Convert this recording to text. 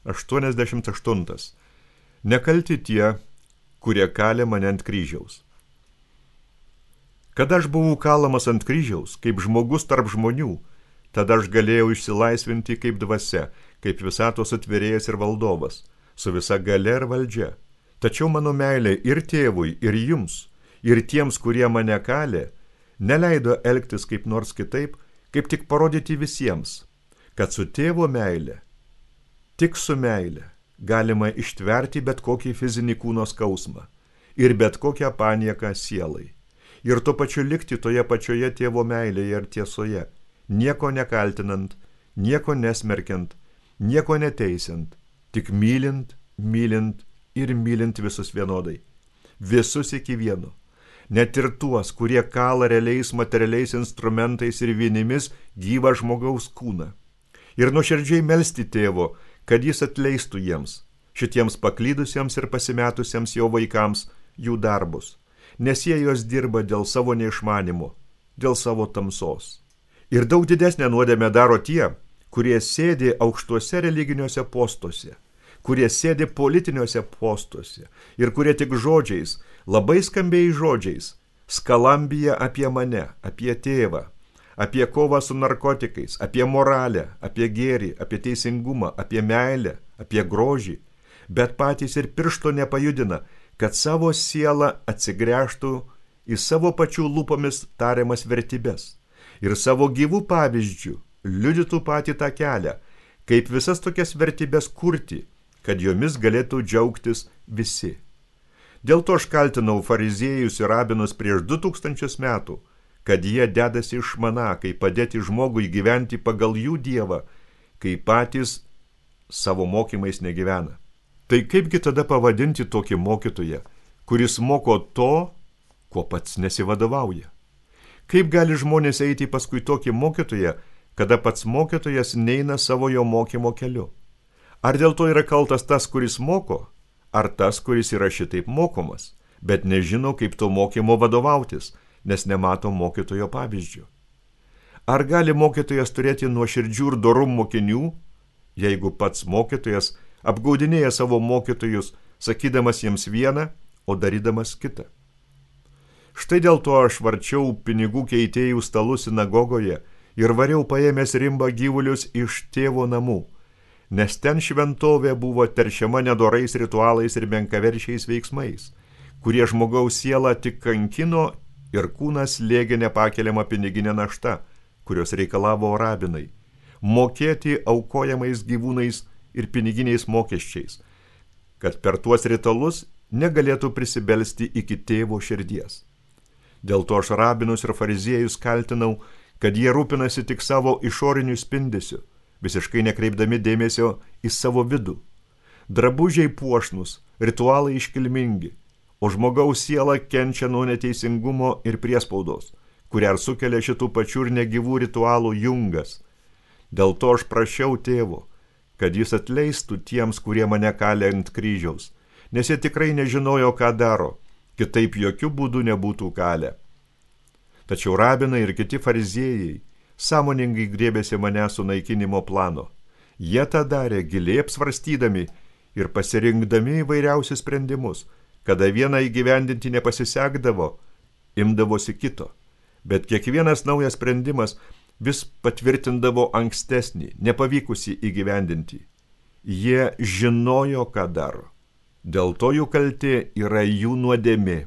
88. Nekalti tie, kurie kalė mane ant kryžiaus. Kada aš buvau kalamas ant kryžiaus, kaip žmogus tarp žmonių, tada aš galėjau išsilaisvinti kaip dvasia, kaip visatos atvėrėjas ir valdovas, su visa galia ir valdžia. Tačiau mano meilė ir tėvui, ir jums, ir tiems, kurie mane kalė, neleido elgtis kaip nors kitaip, kaip tik parodyti visiems, kad su tėvo meilė, tik su meilė, galima ištverti bet kokį fizinį kūno skausmą ir bet kokią panieką sielai. Ir tuo pačiu likti toje pačioje tėvo meilėje ir tiesoje, nieko nekaltinant, nieko nesmerkiant, nieko neteisiant, tik mylint, mylint ir mylint visus vienodai. Visus iki vieno. Net ir tuos, kurie kala realiais materialiais instrumentais ir vinimis gyvą žmogaus kūną. Ir nuoširdžiai melsti tėvo, kad jis atleistų jiems, šitiems paklydusiems ir pasimetusiems jo vaikams, jų darbus, nes jie juos dirba dėl savo neišmanimo, dėl savo tamsos. Ir daug didesnę nuodėmę daro tie, kurie sėdi aukštuose religiniuose postuose, kurie sėdi politiniuose postuose ir kurie tik žodžiais, labai skambiais žodžiais, skalambija apie mane, apie tėvą, apie kovą su narkotikais, apie moralę, apie gėrį, apie teisingumą, apie meilę, apie grožį, bet patys ir piršto nepajudina, kad savo sielą atsigręžtų į savo pačių lūpomis tariamas vertybės ir savo gyvų pavyzdžių liudytų patį tą kelią, kaip visas tokias vertybės kurti, kad jomis galėtų džiaugtis visi. Dėl to aš kaltinau fariziejus ir rabinus prieš 2000 metų, kad jie dedasi išmaną, kaip padėti žmogui gyventi pagal jų dievą, kai patys savo mokymais negyvena. Tai kaipgi tada pavadinti tokį mokytoją, kuris moko to, kuo pats nesivadovauja? Kaip gali žmonės eiti paskui tokį mokytoją, kada pats mokytojas neina savo jo mokymo keliu? Ar dėl to yra kaltas tas, kuris moko, ar tas, kuris yra šitaip mokomas, bet nežino, kaip to mokymo vadovautis, nes nemato mokytojo pavyzdžių? Ar gali mokytojas turėti nuoširdžių ir dorų mokinių, jeigu pats mokytojas apgaudinėja savo mokytojus, sakydamas jiems vieną, o darydamas kitą? Štai dėl to aš varčiau pinigų keitėjų stalus sinagogoje ir variau paėmęs rimbą gyvulius iš tėvo namų, nes ten šventovė buvo teršiama nedorais ritualais ir menkaverčiais veiksmais, kurie žmogaus sielą tik kankino ir kūnas slėgė nepakeliamą piniginę naštą, kurios reikalavo rabinai, mokėti aukojamais gyvūnais ir piniginiais mokesčiais, kad per tuos ritualus negalėtų prisibelsti iki tėvo širdies. Dėl to aš rabinus ir fariziejus kaltinau, kad jie rūpinasi tik savo išoriniu spindesiu, visiškai nekreipdami dėmesio į savo vidų. Drabužiai puošnus, ritualai iškilmingi, o žmogaus siela kenčia nuo neteisingumo ir priespaudos, kurią sukelia šitų pačių ir negyvų ritualų jungas. Dėl to aš prašiau tėvo, kad jis atleistų tiems, kurie mane kalė ant kryžiaus, nes jie tikrai nežinojo, ką daro, kitaip jokių būdų nebūtų kalę. Tačiau rabinai ir kiti fariziejai sąmoningai griebėsi mane sunaikinimo plano. Jie tą darė giliai apsvarstydami ir pasirinkdami įvairiausius sprendimus. Kada vieną įgyvendinti nepasisekdavo, imdavosi kito, bet kiekvienas naujas sprendimas vis patvirtindavo ankstesnį, nepavykusį įgyvendinti. Jie žinojo, ką daro. Dėl to jų kaltė yra jų nuodėmė,